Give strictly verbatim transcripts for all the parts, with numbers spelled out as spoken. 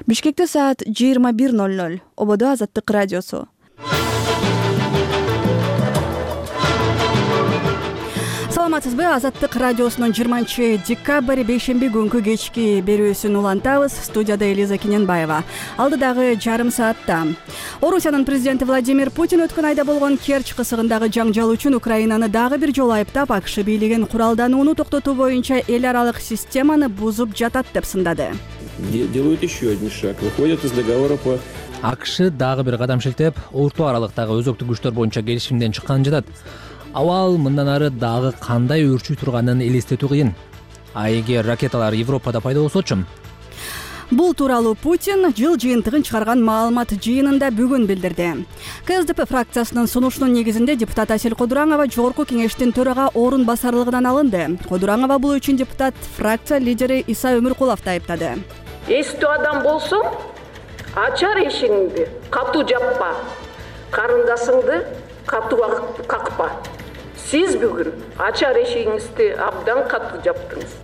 Бишкекте саат жыйырма бир ноль ноль. Ободо Азаттык радиосу. Саламатсызбы? Азаттык радиосунун жыйырманчы декабрь бейшемби күнкү кечки берүүсүн улантабыз. Студияда Элиза Кененбаева. Алдыдагы жарым саатта Орусиянын президенти Владимир Путин өткөн айда болгон Керчь кысыгындагы жаңжал үчүн Украинаны дагы бир жолу айыптап, АКШ бийлигин куралданууну токтотуу боюнча эл аралык системаны бузуп жатат деп сындады. Делают еще один шаг, выходят из договора по АКШ дагы бир кадам шилтеп, орто аралыктагы өзөктүк күчтөр боюнча келишимден чыкканын жатат. Абал мындан ары дагы кандай өрчүй турганын элестетүү кыйын. А эгер ракеталар Европада пайда болсочу? Бул тууралуу Путин жыл жыйынтыгын чыгарган маалымат жыйынында бүгүн билдирди. КСДП фракциясынын сунушунун негизинде депутат Асель Кодураңова жогорку кеңештин төрага орун басарлыгынан алынды. Кодураңова бул үчүн депутат фракция лидери Иса Өмүркуловду айыптады. Эстүү адам болсоң, ачар эшигиңди катуу жаппа, карындашыңды катуу какпа. Сиз бүгүн ачар эшигиңизди абдан катуу жаптыңыз.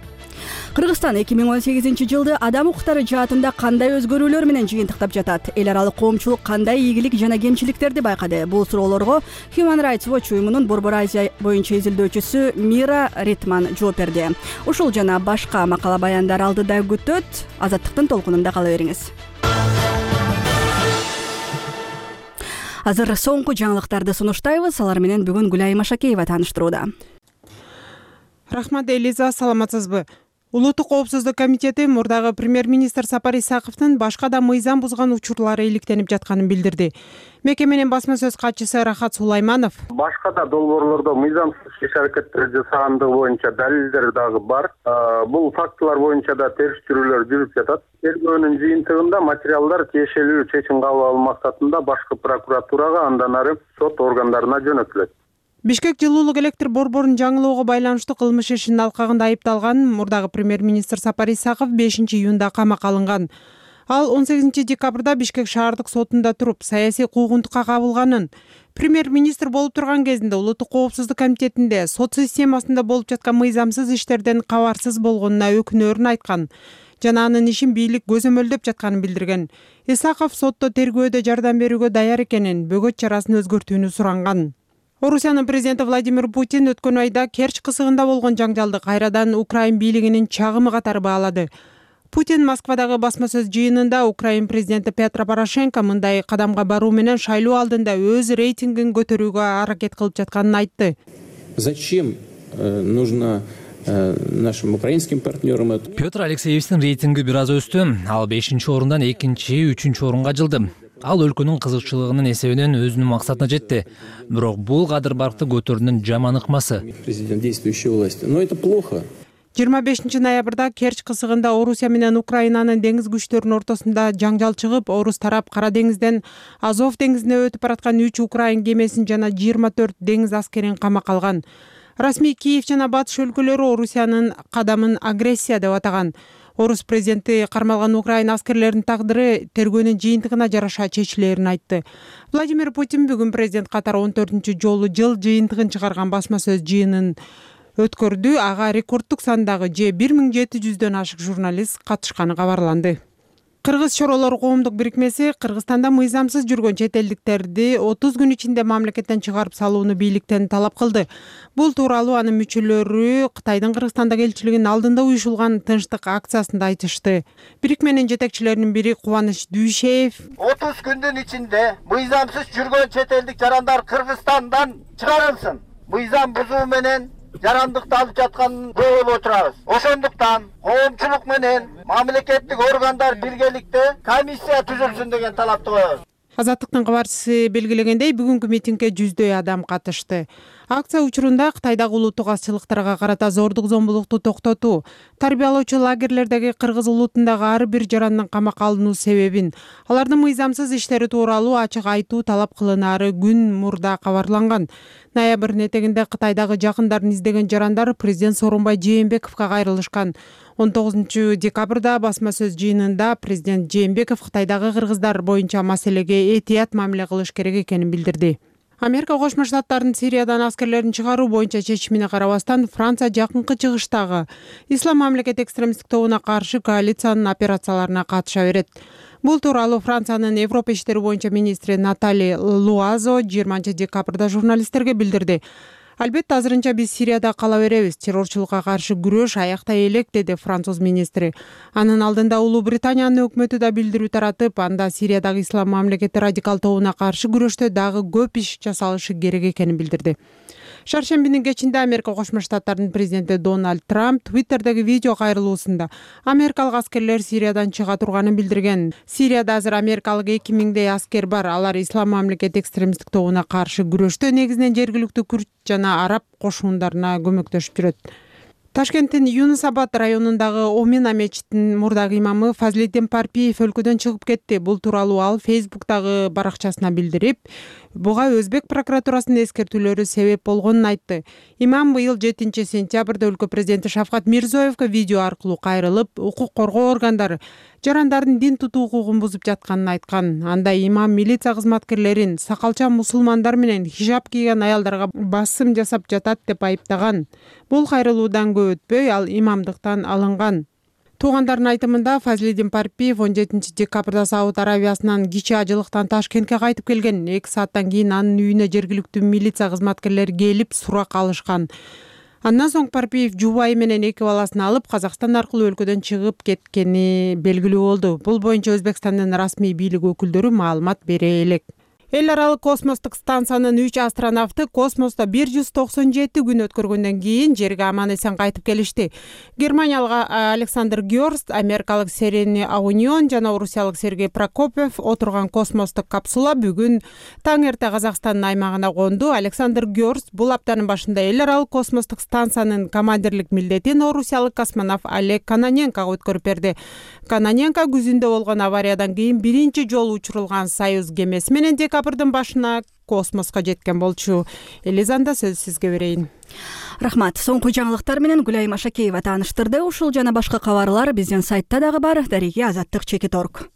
Кыргызстан эки миң он сегизинчи жылды адам укуктары жаатында кандай өзгөрүүлөр менен жыйынтыктап жатат? Эл аралык коомчулук кандай ийгилик жана кемчиликтерди байкады? Бул суроолорго Human Rights Watch уюмунун Борбор Азия боюнча изилдөөчүсү Мира Ритман жооп берди. Ушул жана башка макала баяндар алдыда күтөт. Азаттыктын толкунунда кала бериңиз. Азыр соңку жаңылыктарды сунуштайбыз. Алар менен бүгүн Гүлайым Машакеева тааныштырууда. Рахмат, Элиза, саламатсызбы? Улуттук коопсуздук комитети мурдагы премьер-министр Сапар Исаковдун башка да мыйзам бузган учурлары иликтенип жатканын билдирди. Мекеменин басма сөз катчысы Рахат Сулайманов башка да долбоорлордо мыйзамсыз иш-аракеттер жасагандыгы боюнча далилдер дагы бар. Бул фактылар боюнча да териштирүүлөр жүрүп жатат. Тергөөнүн жыйынтыгында материалдар тиешелүү чечим кабыл алуу максатында башкы прокуратурага, андан ары сот органдарына жөнөтүлөт. Бишкек жылуулук электр борборун жаңылоого байланыштуу кылмыш ишинин алкагында айыпталган мурдагы премьер-министр Сапар Исаков бешинчи июнда камакка алынган. Ал он сегизинчи декабрда Бишкек шаардык сотунда туруп, саясий куугунтукка кабылганын, премьер-министр болуп турган кезинде Улуттук коопсуздук комитетинде сот системасында болуп жаткан мыйзамсыз иштерден кабарсыз болгонуна өкүнөөрүн айткан жана анын ишин бийлик көзөмөлдөп жатканын билдирген. Исаков сотто тергөөдө жардам берүүгө даяр экенин, бөгөт чарасын өзгөртүүнү суранган. Орусиянын президенти Владимир Путин өткөн айда Керчь кысыгында болгон жаңжалды кайрадан Украин бийлигинин чагымы катары баалады. Путин Москвадагы басма сөз жыйынында Украин президенти Петро Порошенко мындай кадамга баруу менен шайлоо алдында өз рейтингин көтөрүүгө аракет кылып жатканын айтты. Зачем нужно нашим украинским партнерам? Петр Алексеевичтин рейтинги бир аз өстү. Ал бешинчи орундан экинчи, үчүнчү орунга жылды. Ал өлкөнүн кызыкчылыгынын эсебинен өзүнүн максатына жетти. Бирок бул кадыр баркты көтөрүүнүн жаман ыкмасы. Президент действующей власти. Но это плохо. жыйырма бешинчи ноябрда Керчь кысыгында Орусия менен Украинанын деңиз күчтөрүнүн ортосунда жаңжал чыгып, Орус тарап Кара деңизден Азов деңизине өтүп бараткан үч Украин кемесин жана жыйырма төрт деңиз аскерин камакка алган. Расмий Киев жана батыш өлкөлөрү Орусиянын кадамын агрессия деп атаган. Орус президенти кармалган Украин аскерлеринин тагдыры тергөөнүн жыйынтыгына жараша чечилерин айтты. Владимир Путин бүгүн президент катары он төртүнчү жолу жыл жыйынтыгын чыгарган басма сөз жыйынын өткөрдү. Ага рекорддук сандагы же бир миң жети жүздөн ашык журналист катышканы кабарланды. Кыргыз чоролор коомдук бирикмеси Кыргызстанда мыйзамсыз жүргөн чет элдиктерди отуз күн ичинде мамлекеттен чыгарып салууну бийликтен талап кылды. Бул тууралуу анын мүчөлөрү Кытайдын Кыргызстандагы элчилигинин алдында уюшулган тынчтык акциясында айтышты. Бирикменин жетекчилеринин бири Кубаныч Дүйшеев отуз күндүн ичинде мыйзамсыз жүргөн чет элдик жарандар Кыргызстандан чыгарылсын. Мыйзам бузуу менен жарандыкты алып жатканын көрүп отурабыз. Ошондуктан коомчулук менен мамлекеттик органдар биргеликте комиссия түзүлсүн деген талапты коебуз. Азаттыктын кабарчысы белгилегендей, бүгүнкү митингге жүздөй адам катышты. Акция учурунда Кытайдагы улуттук азчылыктарга карата зордук зомбулукту токтотуу, тарбиялоочу лагерлердеги кыргыз улутундагы ар бир жарандын камакка алынуу себебин, алардын мыйзамсыз иштери тууралуу ачык айтуу талап кылынаары күн мурда кабарланган. Ноябрдын этегинде Кытайдагы жакындарын издеген жарандар президент Сооронбай Жээнбековго кайрылышкан. он тогузунчу декабрда басма сөз жыйынында президент Жээнбеков Кытайдагы кыргыздар боюнча маселеге этият мамиле кылыш керек экенин билдирди. Америка Кошмо Штаттарынын Сириядан аскерлерин чыгаруу боюнча чечимине карабастан Франция жакынкы чыгыштагы Ислам мамлекет экстремисттик тобуна каршы коалициянын операцияларына катыша берет. Бул тууралуу Франциянын Европа иштери боюнча министри Натали Луазо жыйырманчы декабрда журналисттерге билдирди. Албетте азырынча биз Сирияда кала беребиз. Террорчулукка каршы күрөш аяктай элек, деди француз министри. Анын алдында Улуу Британиянын өкмөтү да билдирүү таратып, анда Сириядагы Ислам мамлекети радикал тобуна каршы күрөштө дагы көп иш жасалышы керек экенин билдирди. Шаршембинин кечинде Америка Кошмо Штаттарынын президенти Дональд Трамп Твиттердеги видео кайрылуусунда америкалык аскерлер Сириядан чыга турганын билдирген. Сирияда азыр америкалык эки миңдей аскер бар. Алар Ислам мамлекет экстремисттик тобуна каршы күрөштө негизинен жергиликтүү күрд жана араб кошундарына көмөктөшүп жүрөт. Ташкенттин Юнус Абад районундагы Омина мечитинин мурдагы имамы Фазлиддин Парпиев өлкөдөн чыгып кетти. Бул тууралуу ал Фейсбуктагы баракчасына билдирип, буга Өзбек прокуратурасынын эскертүүлөрү себеп болгонун айтты. Имам быйыл жетинчи сентябрда өлкө президенти Шавкат Мирзиёевге видео аркылуу кайрылып, укук коргоо органдары жарандардын дин тутуу укугун бузуп жатканын айткан. Анда имам милиция кызматкерлерин сакалча мусулмандар менен хижаб кийген аялдарга басым жасап жатат деп айыптаган. Бул кайрылуудан көп өтпөй ал имамдыктан алынган. Туугандардын айтымында Фазлиддин Парпиев он жетинчи декабрда Сауд Аравиясынан кичи ажылыктан Ташкентке кайтып келген. эки сааттан кийин анын үйүнө жергиликтүү милиция кызматкерлери келип сурак алышкан. Андан соң Парпиев жубайы менен эки баласын алып Казакстан аркылуу өлкөдөн чыгып кеткени белгилүү болду. Бул боюнча Өзбекстандын расмий бийлик өкүлдөрү маалымат бере элек. Эл аралык космостук станциянын үч астронавты космосто бир жүз токсон жети күн өткөргөндөн кийин жерге аман эсен кайтып келишти. Германиялык Александр Гёрст, америкалык Серени Аунион жана орусиялык Сергей Прокопьев отурган космостук капсула бүгүн таң эрте Казакстандын аймагына конду. Александр Гёрст бул аптанын башында эл аралык космостук станциянын командирлик милдетин орусиялык космонавт Олег Кононенкого өткөрүп берди. Кононенко күзүндө болгон авариядан кийин биринчи жолу учурулган Союз кемеси менен декабрдын башына космоско жеткен болчу. Элизанда сөз сизге берейин. Рахмат. Соңку жаңылыктар менен Гүлайым Ашакеева тааныштырды. Ушул жана башка кабарлар биздин сайтта дагы бар. Дареги Азаттык чекит точка орг.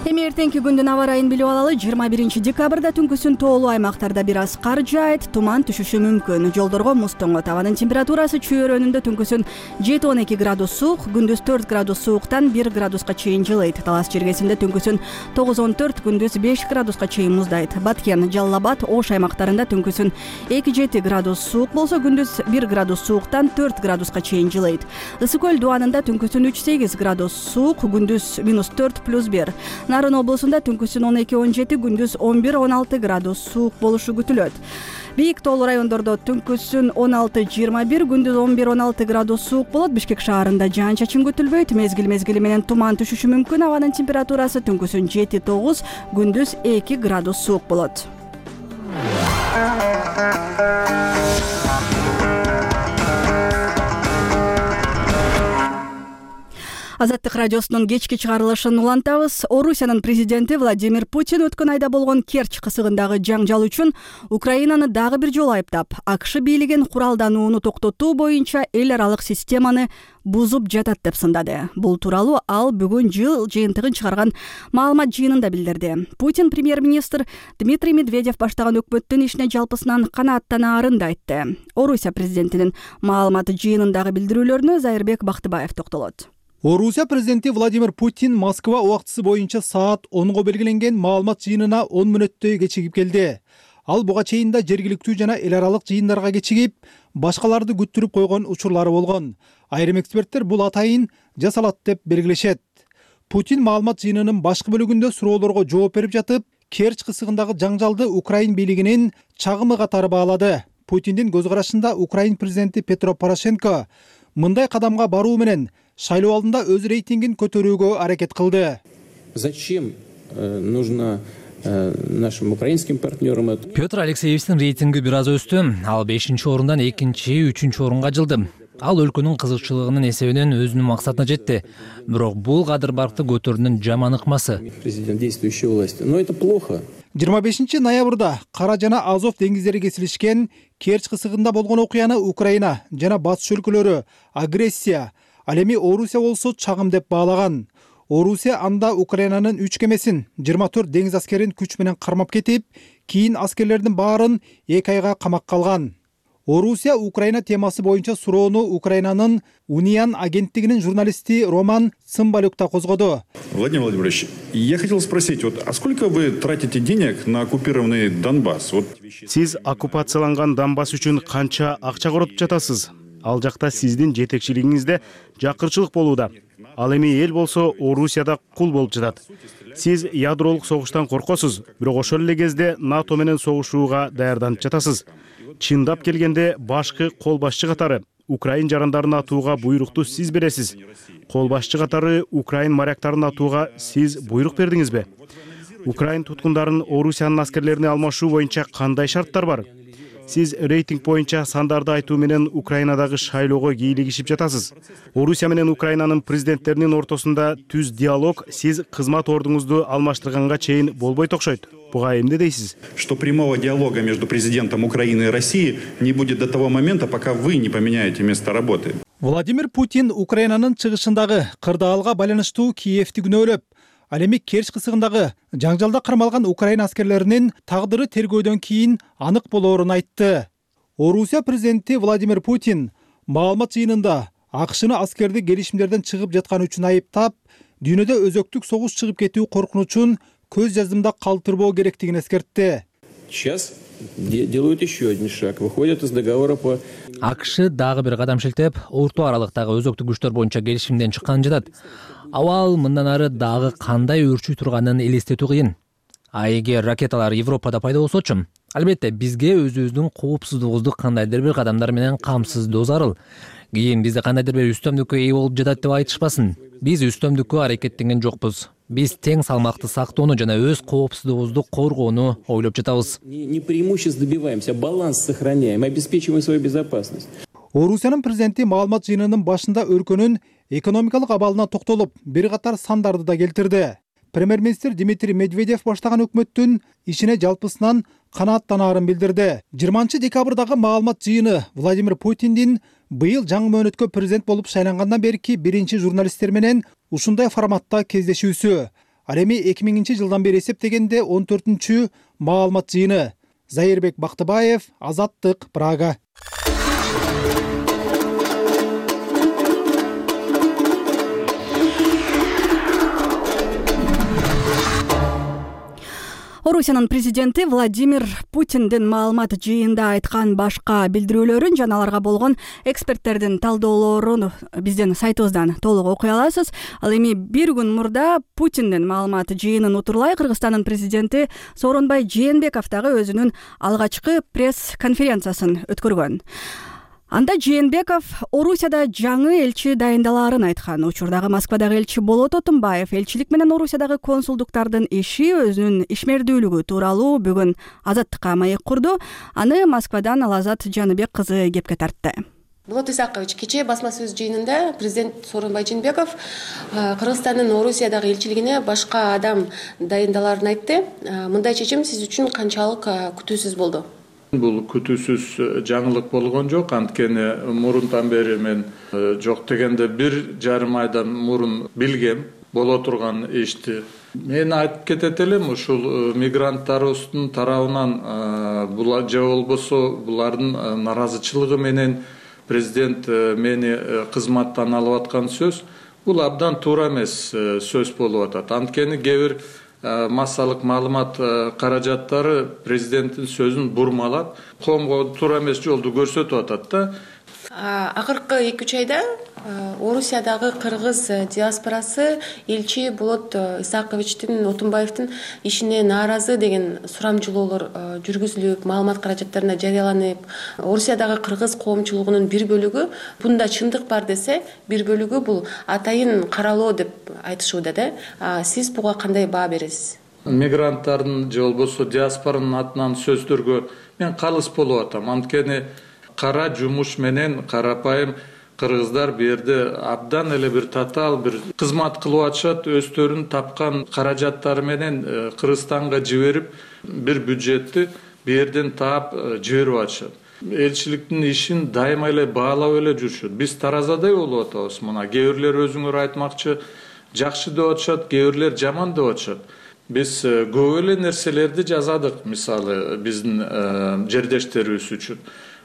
Эми эртеңки күндүн аба ырайын билип алалы. жыйырма биринчи декабрда түнкүсүн тоолуу аймактарда бир аз кар жаайт, туман түшүшү мүмкүн. Жолдорго муз тоңот. Абанын температурасы чөйрөнүндө түнкүсүн жети он эки градус суук, күндүз төрт градус сууктан бир градуска чейин жылыйт. Талас жергесинде түнкүсүн тогуз он төрт, күндүз беш градуска чейин муздайт. Баткен, Жалал Абад, Ош аймактарында түнкүсүн эки жети градус суук болсо, күндүз бир градус сууктан төрт градуска чейин жылыйт. Ысык көл дубанында түнкүсүн үч сегиз градус суук, күндүз минус төрт плюс бир. Нарын облусунда түнкүсүн он эки он жети, күндүз он бир он алты градус суук болушу күтүлөт. Бийик тоолуу райондордо түнкүсүн он алты жыйырма бир, күндүз он бир он алты градус суук болот. Бишкек шаарында жаан чачын күтүлбөйт. Мезгил мезгили менен туман түшүшү мүмкүн. Абанын температурасы түнкүсүн жети тогуз, күндүз эки градус суук болот. Азаттык радиосунун кечки чыгарылышын улантабыз. Орусиянын президенти Владимир Путин өткөн айда болгон Керчь кысыгындагы жаңжал үчүн Украинаны дагы бир жолу айыптап, АКШ бийлигин куралданууну токтотуу боюнча эл аралык системаны бузуп жатат деп сындады. Бул тууралуу ал бүгүн жыл жыйынтыгын чыгарган маалымат жыйынында билдирди. Путин премьер-министр Дмитрий Медведев баштаган өкмөттүн ишине жалпысынан канааттанаарын да айтты. Орусия президентинин маалымат жыйынындагы билдирүүлөрүнө Зайырбек Бактыбаев токтолот. Орусия президенти Владимир Путин Москва убактысы боюнча саат онго белгиленген маалымат жыйынына он мүнөттөй кечигип келди. Ал буга чейин да жергиликтүү жана эл аралык жыйындарга кечигип, башкаларды күттүрүп койгон учурлары болгон. Айрым эксперттер бул атайын жасалат деп белгилешет. Путин маалымат жыйынынын башкы бөлүгүндө суроолорго жооп берип жатып, Керчь кысыгындагы жаңжалды Украин бийлигинин чагымы катары баалады. Путиндин көз карашында Украин президенти Петро Порошенко мындай кадамга баруу менен шайлоо алдында өз рейтингин көтөрүүгө аракет кылды. Зачем нужно нашим украинским партнерам это? Петр Алексеевичтин рейтинги бир аз өстү. Ал бешинчи орундан экинчи, үчүнчү орунга жылды. Ал өлкөнүн кызыкчылыгынын эсебинен өзүнүн максатына жетти. Бирок бул кадыр баркты көтөрүүнүн жаман ыкмасы. Президент действующей власти. Но это плохо. жыйырма бешинчи ноябрда Кара жана Азов деңиздери кесилишкен Керчь кысыгында болгон окуяны Украина жана батыш өлкөлөрү агрессия, ал эми Орусия болсо чагым деп баалаган. Орусия анда Украинанын үч кемесин, жыйырма төрт деңиз аскерин күч менен кармап кетип, кийин аскерлердин баарын эки айга камакка алган. Орусия Украина темасы боюнча суроону Украинанын Униан агенттигинин журналисти Роман Цымбалюк да козгоду. Владимир Владимирович, я хотел спросить, вот, а сколько вы тратите денег на оккупированный Донбасс? Вот... Сиз оккупацияланган Донбасс үчүн канча акча коротуп жатасыз? Ал жакта сиздин жетекчилигиңизде жакырчылык болууда. Ал эми эл болсо Орусияда кул болуп жатат. Сиз ядролук согуштан коркосуз, бирок ошол эле кезде НАТО менен согушууга даярданып жатасыз. Чындап келгенде башкы кол башчы катары Украин жарандарын атууга буйрукту сиз бересиз. Кол башчы катары Украин моряктарын атууга сиз буйрук бердиңизби? Украин туткундарын Орусиянын аскерлерине алмашуу боюнча кандай шарттар бар? Сиз рейтинг боюнча сандарды айтуу менен Украинадагы шайлоого кийлигишип жатасыз. Орусия менен Украинанын президенттеринин ортосунда түз диалог сиз кызмат ордуңузду алмаштырганга чейин болбойт окшойт. Буга эмне дейсиз? Что прямого диалога между президентом Украины и России не будет до того момента, пока вы не поменяете место работы. Владимир Путин Украинанын чыгышындагы кырдаалга байланыштуу Киевти күнөөлөп, ал эми Керч кысыгындагы жаңжалда кармалган Украина аскерлеринин тагдыры тергөөдөн кийин анык болоорун айтты. Орусия президенти Владимир Путин маалымат жыйынында АКШны аскерди келишимдерден чыгып жатканы үчүн айыптап, дүйнөдө өзөктүк согуш чыгып кетүү коркунучун көз жаздымда калтырбоо керектигин эскертти. Сейчас делают еще один шаг, выходят из договора по... АКШ дагы бир кадам шилтеп, орто аралыктагы өзөктүк күчтөр боюнча келишимден чыкканын жатат. Абал мындан ары дагы кандай өөрчүй турганын элестетүү кыйын. А эгер ракеталар Европада пайда болсочу, албетте бизге өзүбүздүн коопсуздугубузду кандайдыр бир кадамдар менен камсыздоо зарыл. Кийин бизде кандайдыр бир үстөмдүккө ээ болуп жатат деп айтышпасын. Биз үстөмдүккө аракеттенген жокпуз. Биз тең салмакты сактоону жана өз коопсуздугубузду коргоону ойлоп жатабыз. Не преимущество добиваемся, а баланс сохраняем, обеспечиваем свою безопасность. Орусиянын президенти маалымат жыйынынын башында өлкөнүн экономикалык абалына токтолуп, бир катар сандарды да келтирди. Премьер-министр Дмитрий Медведев баштаган өкмөттүн ишине жалпысынан канааттанаарын билдирди. жыйырманчы декабрдагы маалымат жыйыны Владимир Путиндин быйыл жаңы мөөнөткө президент болуп шайлангандан берки биринчи журналисттер менен ушундай форматта кездешүүсү. Ал эми эки миңинчи жылдан бери эсептегенде он төртүнчү маалымат жыйыны. Зайырбек Бактыбаев, Азаттык, Прага. Орусиянын президенти Владимир Путиндин маалымат жыйында айткан башка билдирүүлөрүн жана аларга болгон эксперттердин талдоолорун биздин сайтыбыздан толук окуй аласыз. Ал эми бир күн мурда Путиндин маалымат жыйынын утурлай Кыргызстандын президенти Сооронбай Жээнбеков дагы өзүнүн алгачкы пресс-конференциясын өткөргөн. Анда Жээнбеков Орусияда жаңы элчи дайындалаарын айткан. Учурдагы Москвадагы элчи Болот Отунбаев элчилик менен Орусиядагы консулдуктардын иши, өзүнүн ишмердүүлүгү тууралуу бүгүн Азаттыкка маек курду. Аны Москвадан Алазат Жаныбек кызы кепке тартты. Болот Исакович, кечээ басма сөз жыйынында президент Сооронбай Жээнбеков Кыргызстандын Орусиядагы элчилигине башка адам дайындалаарын айтты. Мындай чечим сиз үчүн канчалык күтүүсүз болду? Бул күтүүсүз жаңылык болгон жок, анткени мурунтан бери мен жок дегенде бир жарым айдан мурун билгем боло турган ишти. Мен айтып кетет элем, ушул мигранттарыбыздын тарабынан же болбосо булардын наразычылыгы менен президент мени кызматтан алып аткан сөз, бул абдан туура эмес сөз болуп атат. Анткени кээ бир массалык маалымат каражаттары президенттин сөзүн бурмалап, коомго туура эмес жолду көрсөтүп атат да. Акыркы эки үч айда Орусиядагы кыргыз диаспорасы элчи Болот Исаковичтин, Отунбаевдин ишине нааразы деген сурамжылоолор жүргүзүлүп, маалымат каражаттарына жарыяланып, Орусиядагы кыргыз коомчулугунун бир бөлүгү бунда чындык бар десе, бир бөлүгү бул атайын каралоо деп айтышууда да. Сиз буга кандай баа бересиз? Мигранттардын же болбосо диаспоранын атынан сөздөргө мен калыс болуп атам. Анткени кара жумуш менен карапайым кыргыздар бу жерде абдан эле бир татаал бир кызмат кылып атышат, өздөрүнүн тапкан каражаттары менен Кыргызстанга жиберип, бир бюджетти бу жерден таап жиберип атышат. Элчиликтин ишин дайыма эле баалап эле жүрүшөт. Биз таразадай болуп атабыз. Мына кээ бирлер өзүңөр айтмакчы, жакшы деп атышат, кээ бирлер жаман деп атышат. Биз көп эле нерселерди жазадык, мисалы биздин жердештерибиз үчүн.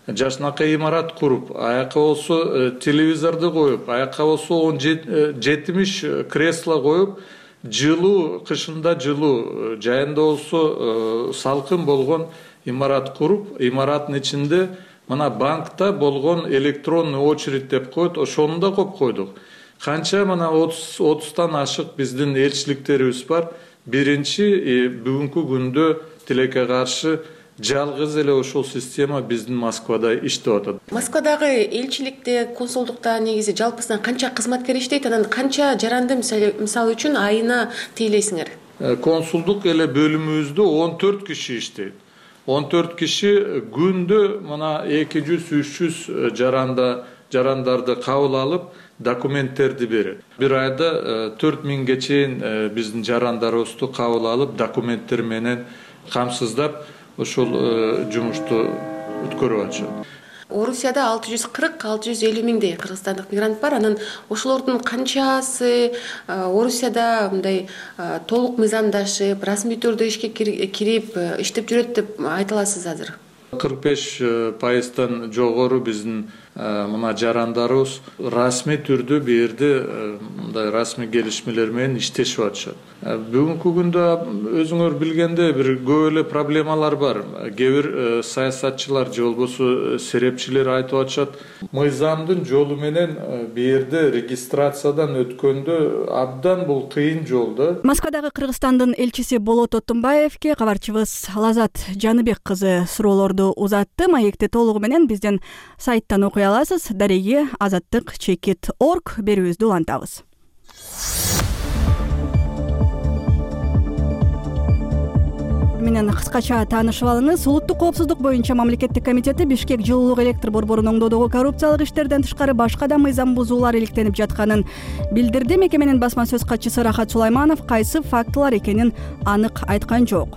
Жашынакай имарат куруп, аяка болсо телевизорду коюп, аяка болсо он жетимиш кресло коюп, жылуу, кышында жылуу, жайында болсо салкын болгон имарат куруп, имараттын ичинде мына банкта болгон электронный очередь деп коет, ошону да коюп койдук. Канча мына отуздан ашык биздин элчиликтерибиз бар. Биринчи бүгүнкү күндө тилекке каршы жалгыз эле ошол система биздин Москвада иштеп атат. Москвадагы элчиликте, консулдукта негизи жалпысынан канча кызматкер иштейт, анан канча жаранды мисалы үчүн айына тейлейсиңер? Консулдук эле бөлүмүбүздө он төрт киши иштейт. он төрт киши күндө мына эки жүз үч жүз жаранда жарандарды кабыл алып, документтерди берет. Бир айда төрт миңге чейин биздин жарандарыбызды кабыл алып, документтер менен камсыздап ошол жумушту өткөрүп атышат. Орусияда алты жүз кырк алты жүз элүү миңдей кыргызстандык мигрант бар. Анан ошолордун канчасы Орусияда мындай толук мыйзамдашып, расмий түрдө ишке кирип иштеп жүрөт деп айта аласыз азыр? кырк беш пайыздан жогору биздин мына жарандарыбыз расмий түрдө бу жерде мындай расмий келишмелер менен иштешип атышат. Бүгүнкү күндө өзүңөр билгендей бир көп эле проблемалар бар. Кээ бир саясатчылар же болбосо серепчилер айтып атышат, мыйзамдын жолу менен бу жерде регистрациядан өткөндө абдан бул кыйын жол да. Москвадагы Кыргызстандын элчиси Болот Отунбаевке кабарчыбыз Лазат Жаныбек кызы суроолорду узатты. Маекти толугу менен биздин сайттан окуй аласыз. Дареги азаттык чекит точка орг берүүбүздү улантабыз. Менен кыскача таанышып алыңыз. Улуттук коопсуздук боюнча мамлекеттик комитети Бишкек жылуулук электр борборун оңдоодогу коррупциялык иштерден тышкары башка да мыйзам бузуулар иликтенип жатканын билдирди. Мекеменин басма сөз катчысы Рахат Сулайманов кайсы фактылар экенин анык айткан жок.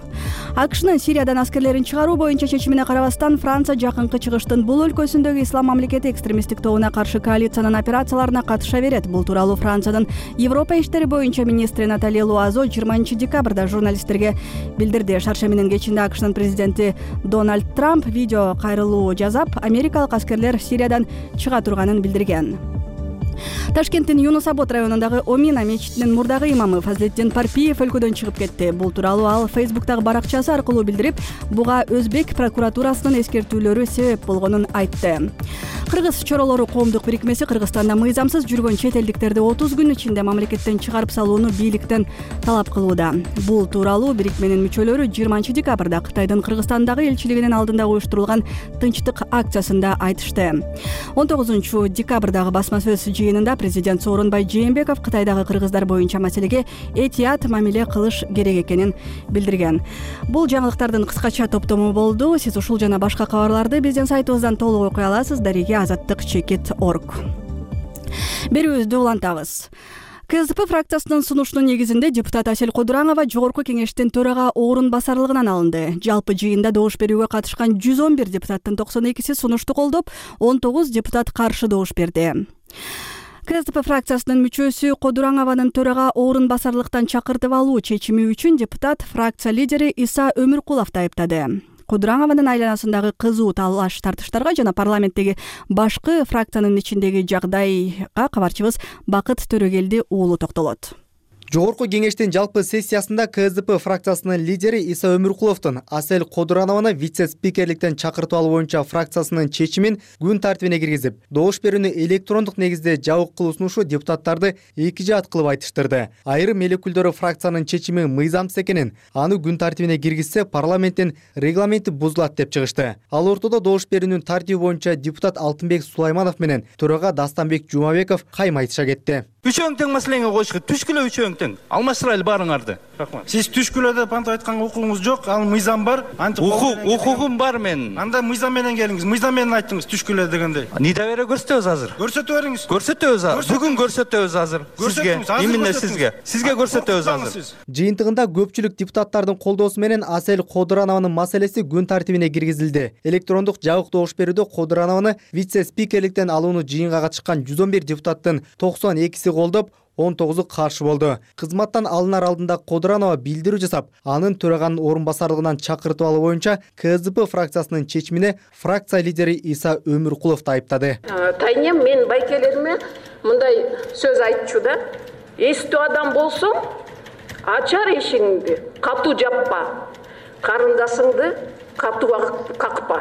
АКШнын Сириядан аскерлерин чыгаруу боюнча чечимине карабастан Франция жакынкы чыгыштын бул өлкөсүндөгү ислам мамлекети экстремисттик тобуна каршы коалициянын операцияларына катыша берет. Бул тууралуу Франциянын Европа иштери боюнча министри Наталья Луазо жыйырманчы декабрда журналисттерге билдирди. Шарша менен кечинде АКШнын президенти Дональд Трамп видео кайрылуу жасап, америкалык аскерлер Сириядан чыга турганын билдирген. Ташкенттин Юнус Абод районундагы Омина мечитинин мурдагы имамы Фазлетдин Парпиев өлкөдөн чыгып кетти. Бул тууралуу ал Фейсбуктагы баракчасы аркылуу билдирип, буга Өзбек прокуратурасынын эскертүүлөрү себеп болгонун айтты. Кыргыз чоролору коомдук бирикмеси Кыргызстанда мыйзамсыз жүргөн чет элдиктерди отуз күн ичинде мамлекеттен чыгарып салууну бийликтен талап кылууда. Бул тууралуу бирикменин мүчөлөрү жыйырманчы декабрда Кытайдын Кыргызстандагы элчилигинин алдында уюштурулган тынчтык акциясында айтышты. он тогузунчу декабрдагы басма сөз жыйынында президент Сооронбай Жээнбеков Кытайдагы кыргыздар боюнча маселеге этият мамиле кылыш керек экенин билдирген. Бул жаңылыктардын кыскача топтому болду. Сиз ушул жана башка кабарларды биздин сайтыбыздан толук окуй аласыз. Дареги азаттык чекит точка орг берүүбүздү улантабыз. КСДП фракциясынын сунушунун негизинде депутат Асель Кодуранова жогорку кеңештин төрага орун басарлыгынан алынды. Жалпы жыйында добуш берүүгө катышкан жүз он бир депутаттын токсон экиси сунушту колдоп, он тогуз депутат каршы добуш берди. КСДП фракциясынын мүчөсү Кодураңованын төрага орун басарлыктан чакыртып алуу чечими үчүн депутат фракция лидери Иса Өмүркуловду айыптады. Кодураңованын айланасындагы кызуу талаш тартыштарга жана парламенттеги башкы фракциянын ичиндеги жагдайга кабарчыбыз Бакыт Төрөгелди уулу токтолот. Жогорку кеңештин жалпы сессиясында КСДП фракциясынын лидери Иса Өмүркуловдун Асель Кодуранованы вице-спикерликтен чакыртып алуу боюнча фракциясынын чечимин күн тартибине киргизип, добуш берүүнү электрондук негизде жабык кылуу сунушу депутаттарды эки жаат кылып айтыштырды. Айрым эл өкүлдөрү фракциянын чечими мыйзамсыз экенин, аны күн тартибине киргизсе парламенттин регламенти бузулат деп чыгышты. Ал ортодо добуш берүүнүн тартиби боюнча депутат Алтынбек Сулайманов менен төрага Дастанбек Жумабеков кайма айтыша кетти. Үчөөң тең маселеңе коюшка түшкүлө үчөөң тең. Алмаштырайлы баарыңарды. Сиз түшкүлө деп анта айтканга укугуңуз жок, ал мыйзам бар. Укугум бар менин. Анда мыйзам менен келиңиз. Мыйзам менен айттыңыз түшкүлө дегенде. Нида бере көрсөтөбүз азыр. Көрсөтө бериңиз. Көрсөтөбүз азыр. Бүгүн көрсөтөбүз азыр. Сизге, именно сизге. Сизге көрсөтөбүз азыр. Жыйынтыгында көпчүлүк депутаттардын колдоосу менен Асель Кодуранованын маселеси күн тартибине киргизилди. Электрондук жабык добуш берүүдө Кодуранованы вице-спикерликтен алууну жыйынга катышкан жүз он бир депутаттын токсон экиси колдоп, он тогузу каршы болду. Кызматтан алынар алдында Кодуранова билдирүү жасап, анын төраганын орун басарлыгынан чакыртып алуу боюнча КСДП фракциясынын чечимине фракция лидери Иса Өмүркуловду айыптады. Тайнем мен байкелериме мындай сөз айтчу да. Эстүү адам болсоң, ачар эшигиңди катуу жаппа. Карындасыңды катуу какпа.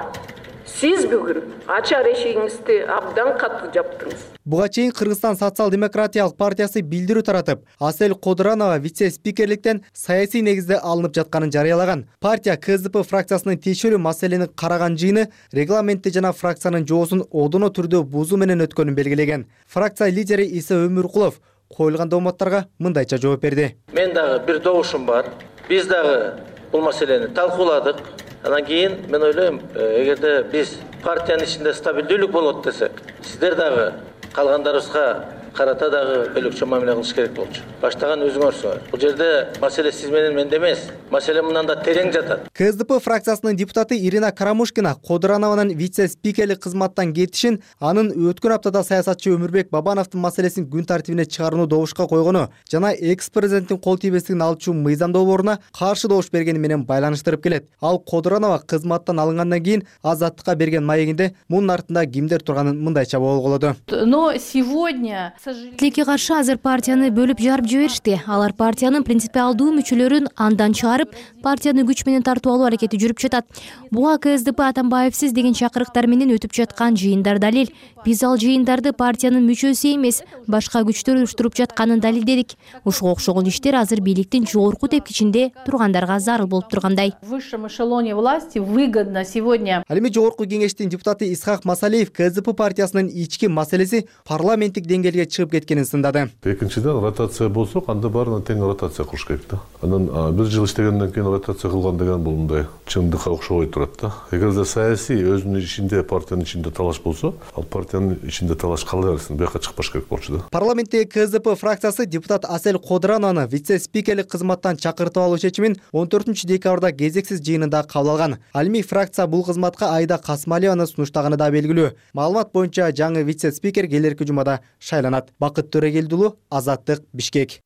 Сиз бүгүн ачар эшигиңизди абдан катуу жаптыңыз. Буга чейин Кыргызстан социал-демократиялык партиясы билдирүү таратып, Асель Кодуранова вице-спикерликтен саясий негизде алынып жатканын жарыялаган. Партия КСДП фракциясынын тиешелүү маселени караган жыйыны регламентти жана фракциянын жоосун одоно түрдө бузуу менен өткөнүн белгилеген. Фракция лидери Иса Өмүркулов коюлган дооматтарга мындайча жооп берди. Мен дагы бир добушум бар. Биз дагы бул маселени талкууладык. Анан кийин мен ойлойм, эгерде биз партиянын ичинде стабилдүүлүк болот десек, сиздер дагы калгандарыбызга карата дагы бөлөкчө мамиле кылыш керек болчу. Баштаган өзүңөрсүңөр. Бул жерде маселе сиз менен менде эмес. Маселе мындан да терең жатат. КСДП фракциясынын депутаты Ирина Карамушкина Кодуранованын вице-спикерлик кызматтан кетишин, анын өткөн аптада саясатчы Өмүрбек Бабановдун маселесин күн тартибине чыгарууну добушка койгону жана экс-президенттин кол тийбестигин алчу мыйзам долбооруна каршы добуш бергени менен байланыштырып келет. Ал Кодуранова кызматтан алынгандан кийин Азаттыкка берген маегинде мунун артында кимдер турганын мындайча болголоду. Но сегодня Тилекке каршы азыр партияны бөлүп жарып жиберишти. Алар партиянын принципиалдуу мүчөлөрүн андан чыгарып, партияны күч менен тартып алуу аракети жүрүп жатат. Буга КСДП Атамбаевсиз деген чакырыктар менен өтүп жаткан жыйындар далил. Биз ал жыйындарды партиянын мүчөсү эмес, башка күчтөр уюштуруп жатканын далилдедик. Ушуга окшогон иштер азыр бийликтин жогорку тепкичинде тургандарга зарыл болуп тургандай. В высшем эшелоне власти выгодно сегодня. Ал эми жогорку кеңештин депутаты Исхак Масалиев КСДП партиясынын ички маселеси парламенттик деңгээлге чыгып кеткенин сындады. Экинчиден, ротация болсо, анда баарына тең ротация кылыш керек да. Анан бир жыл иштегенден кийин ротация кылган деген бул мындай чындыкка окшобой турат да. Эгерде саясий өзүнүн ичинде, партиянын ичинде талаш болсо, ал партиянын ичинде талаш кала берсин, бияка чыкпаш керек болчу да. Парламентте КСДП фракциясы депутат Асель Кодуранованы вице-спикерлик кызматтан чакыртып алуу чечимин он төртүнчү декабрда кезексиз жыйынында кабыл алган. Ал эми фракция бул кызматка Айда Касмалиеваны сунуштаганы да белгилүү. Маалымат боюнча жаңы вице-спикер келерки жумада шайланат. Бакыт Төрегелдулу, Азаттык, Бишкек.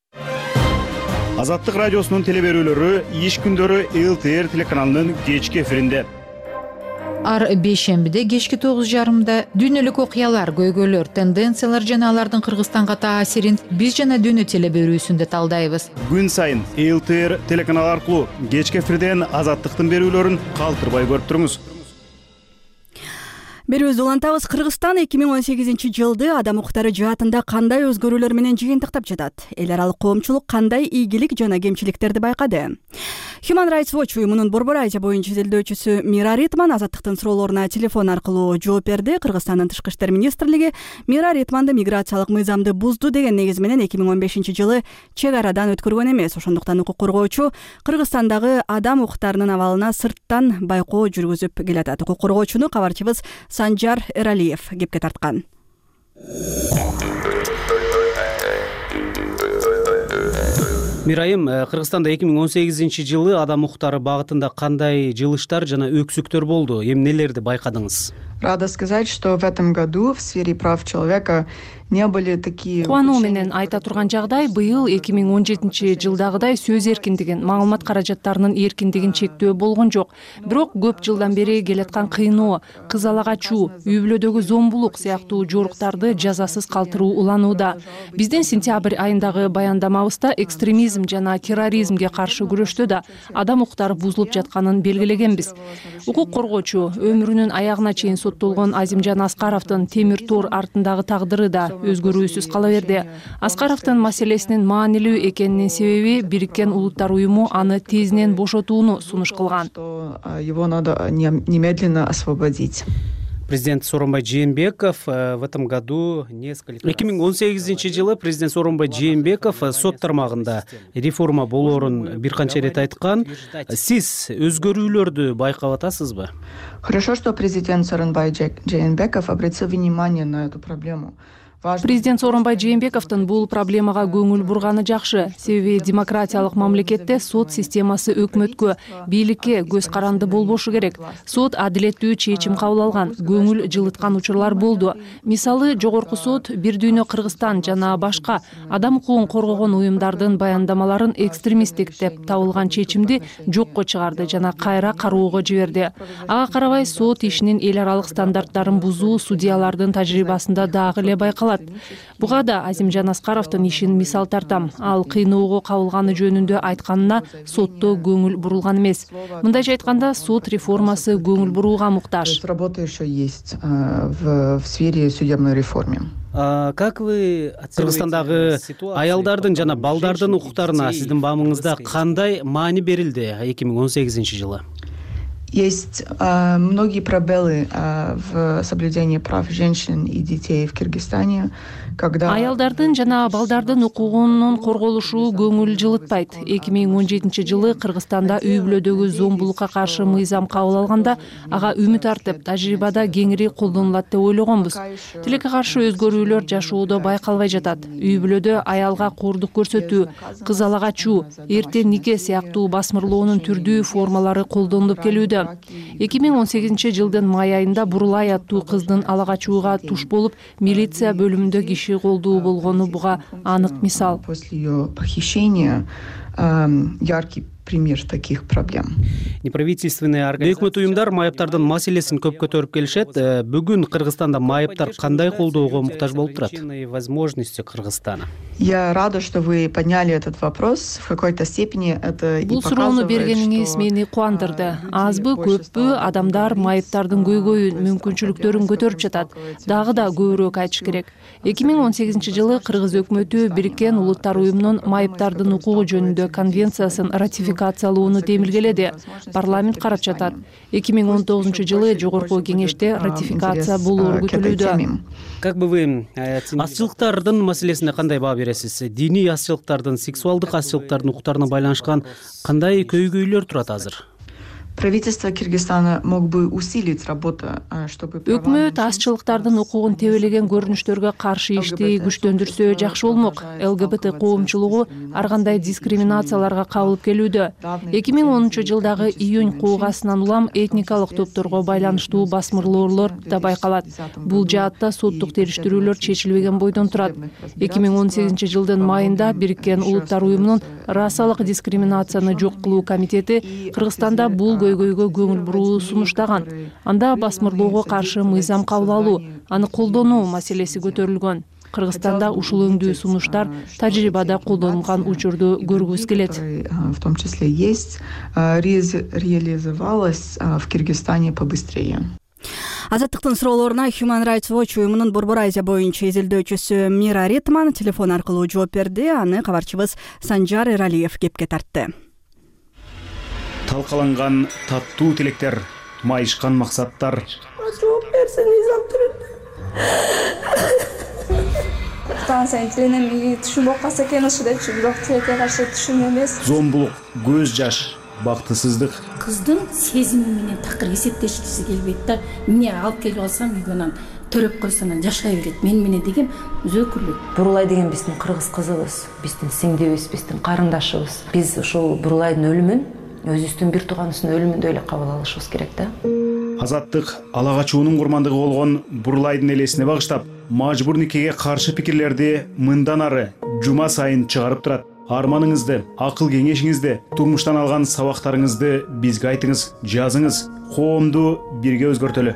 Азаттык радиосунун телеберүүлөрү иш күндөрү эл тэ эр телеканалынын кечки эфиринде. Ар бейшембиде кечки тогуз жарымда дүйнөлүк окуялар, көйгөйлөр, тенденциялар жана алардын Кыргызстанга таасирин биз жана дүйнө телеберүүсүндө талдайбыз. Күн сайын эл тэ эр телеканалы аркылуу кечки эфирден Азаттыктын берүүлөрүн калтырбай көрүп туруңуз. Берүүбүздү улантабыз. Кыргызстан эки миң он сегизинчи жылды адам укуктары жаатында кандай өзгөрүүлөр менен жыйынтыктап жатат? Эл аралык коомчулук кандай ийгилик жана кемчиликтерди байкады? Human Rights Watch уюмунун Борбор Азия боюнча изилдөөчүсү Мира Ритман Азаттыктын суроолоруна телефон аркылуу жооп берди. Кыргызстандын тышкы иштер министрлиги Мира Ритманды миграциялык мыйзамды бузду деген негиз менен эки миң он бешинчи жылы чек арадан өткөргөн эмес. Ошондуктан укук коргоочу Кыргызстандагы адам укуктарынын абалына сырттан байкоо жүргүзүп келатат. Укук коргоочуну кабарчыбыз Санжар Эралиев кепке тарткан. Мирайым, Кыргызстанда эки миң он сегизинчи жылы адам укуктары багытында кандай жылыштар жана өксүктөр болду? Эми нелерди байкадыңыз? Рада сказать, что в этом году в сфере прав человека не были такие. Кубануу менен айта турган жагдай, быйыл эки миң он жетинчи жылдагыдай сөз эркиндигин, маалымат каражаттарынын эркиндигин чектөө болгон жок. Бирок көп жылдан бери келаткан кыйноо, кызалак ачуу, үй бүлөдөгү зомбулук сыяктуу жоруктарды жазасыз калтыруу уланууда. Биздин сентябрь айындагы баяндамабызда экстремизм жана терроризмге каршы күрөштө да адам укуктары бузулуп жатканын белгилегенбиз. Укук коргоочу өмүрүнүн аягына чейин соттолгон Азимжан Аскаровдун темир тор артындагы тагдыры да өзгөрүүсүз кала берди. Аскаровдун маселесинин маанилүү экенинин себеби Бириккен Улуттар уюму аны тезинен бошотууну сунуш кылган. Его надо немедленно освободить. Президент Сооронбай Жээнбеков в этом году несколько... эки миң он сегизинчи жылы президент Сооронбай Жээнбеков сот тармагында реформа болоорун бир канча ирет айткан. Сиз өзгөрүүлөрдү байкап атасызбы? Хорошо, что президент Сооронбай Жээнбеков обратил внимание на эту проблему. Президент Сооронбай Жээнбековдун бул проблемага көңүл бурганы жакшы. Себеби демократиялык мамлекетте сот системасы өкмөткө, бийликке көз каранды болбошу керек. Сот адилеттүү чечим кабыл алган, көңүл жылыткан учурлар болду. Мисалы, жогорку сот Бир дүйнө Кыргызстан жана башка адам укугун коргогон уюмдардын баяндамаларын экстремисттик деп табылган чечимди жокко чыгарды жана кайра кароого жиберди. Ага карабай сот ишинин эл аралык стандарттарын бузуу судьялардын тажрыйбасында дагы эле байкалат. Буга да Азимжан Аскаровдун ишин мисал тартам. Ал кыйноого кабылганы жөнүндө айтканына сотто көңүл бурулган эмес. Мындайча айтканда, сот реформасы көңүл бурууга муктаж. Работа еще есть в сфере судебной реформы. Как вы Кыргызстандагы аялдардын жана балдардын укуктарына сиздин баамыңызда кандай маани берилди эки миң он сегизинчи жылы? Есть э, многие пробелы э, в соблюдении прав женщин и детей в Кыргызстане, когда аялдардын жана балдардын укугунун корголушу көңүл жылытпайт. эки миң он жетинчи жылы Кыргызстанда үй бүлөдөгү зомбулукка каршы мыйзам кабыл алганда ага үмүт артып, тажрыйбада кеңири колдонулат деп ойлогонбуз. Тилекке каршы өзгөрүүлөр жашоодо байкалбай жатат. Үй бүлөдө аялга коордук көрсөтүү, кыз ала качуу, эрте нике сыяктуу басмырлоонун түрдүү формалары колдонулуп келүүдө. эки миң он сегизинчи жылдын май айында Бурулай аттуу кыздын ала качууга туш болуп, милиция бөлүмүндө киши колдуу болгону буга анык мисал. После ее похищения яркий пример таких проблем. Неправительственные организации, өкмөт уюмдар майыптардын маселесин көп көтөрүп келишет. Бүгүн Кыргызстанда майыптар кандай колдоого муктаж болуп турат? Возможности Кыргызстана. Я рада, что вы подняли этот вопрос. В какой-то степени это и показывает, что... Бул суроону бергениңиз мени кубандырды. Азбы, көппү адамдар майыптардын көйгөйүн, мүмкүнчүлүктөрүн көтөрүп жатат. Дагы да көбүрөөк айтыш керек. эки миң он сегизинчи жылы Кыргыз өкмөтү Бириккен Улуттар уюмунун майыптардын укугу жөнүндө конвенциясын ратификациялоону демилгеледи. Парламент карап жатат. эки миң он тогузунчу жылы жогорку кеңеште ратификация болоору күтүлүүдө. Как бы вы азчылыктардын маселесине кандай баа бересиз? Диний азчылыктардын, сексуалдык азчылыктардын укуктарына байланышкан кандай көйгөйлөр турат азыр? Правительство Кыргызстана мог бы усилить работу, чтобы өкмөт азчылыктардын укугун тебелеген көрүнүштөргө каршы ишти күчтөндүрсө жакшы болмок. ЛГБТ коомчулугу ар кандай дискриминацияларга кабылып келүүдө. эки миң онунчу жылдагы июнь куугасынан улам этникалык топторго байланыштуу басмырлоолор да байкалат. Бул жаатта соттук териштирүүлөр чечилбеген бойдон турат. эки миң он сегизинчи жылдын майында Бириккен Улуттар уюмунун расалык дискриминацияны жок кылуу комитети Кыргызстанда бул көйгөйгө көңүл буруу сунуштаган. Анда басмырлоого каршы мыйзам кабыл алуу, аны колдонуу маселеси көтөрүлгөн. Кыргызстанда ушул өңдүү сунуштар тажрыйбада колдонулган учурду көргүбүз келет. В том числе есть реализовалось в Кыргызстане побыстрее. Азаттыктын суроолоруна Human Rights Watch уюмунун Борбор Азия боюнча изилдөөчүсү Мира Ритман телефон аркылуу жооп берди. Аны кабарчыбыз Санжар Эралиев кепке тартты. Талкаланган таттуу тилектер, майышкан максаттар. Жооп берсе мыйзам түрүндө. Станция тиленем түшүнүп калса экен ушу депчи, бирок тилекке каршы түшүн эмес. Зомбулук, көз жаш, бактысыздык. Кыздын сезими менен такыр эсептешкиси келбейт да. Эмне алып келип алсам үйгөнөн төрөп койсо анан жашай берет. Мен менен деген өзөкүлүк. Бурулай деген биздин кыргыз кызыбыз, биздин сиңдибиз, биздин карындашыбыз. Биз ушул Бурулайдын өлүмүн өзүбүздүн бир тууганыбыздын өлүмүндөй эле кабыл алышыбыз керек да. Азаттык ала качуунун курмандыгы болгон Бурулайдын элесине багыштап, мажбур никеге каршы пикирлерди мындан ары жума сайын чыгарып турат. Арманыңызды, акыл кеңешиңизди, турмуштан алган сабактарыңызды бизге айтыңыз, жазыңыз. Коомду бирге өзгөртөлү.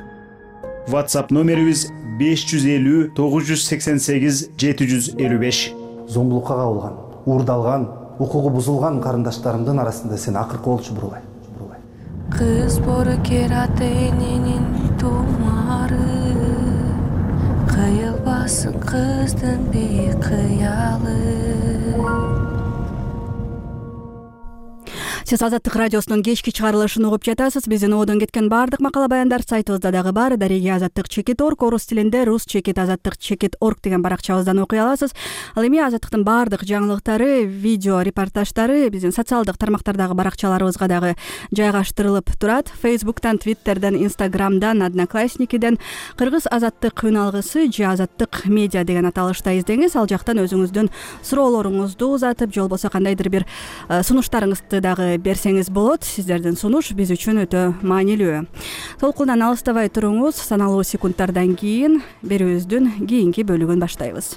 WhatsApp номерибиз беш жүз элүү тогуз жүз сексен сегиз жети жүз элүү беш. Зомбулукка кабылган, уурдалган, укугу бузулган карындаштарымдын арасында сен акыркы болчу Бурулай. Кыз боркерат эненин тумары, кыйылбасын кыздын бейкыялы. Сиз Азаттык радиосунун кечки чыгарылышын угуп жатасыз. Биздин одон кеткен баардык макала баяндар сайтыбызда дагы бар. Дареги азаттык чекит орг, орус тилинде рус чекит азаттык чекит орг деген баракчабыздан окуй аласыз. Ал эми азаттыктын баардык жаңылыктары, видео репортаждары биздин социалдык тармактардагы баракчаларыбызга дагы жайгаштырылып турат. Фейсбуктан, Твиттерден, Инстаграмдан, Одноклассникиден кыргыз азаттык үн алгысы же азаттык медиа деген аталышта издеңиз. Ал жактан өзүңүздүн суроолоруңузду узатып, же болбосо кандайдыр бир сунуштарыңызды дагы берсеңиз болот. Сиздердин сунуш биз үчүн өтө маанилүү. Толкундан алыстабай туруңуз. Саналуу секундтардан кийин берүүбүздүн кийинки бөлүгүн баштайбыз.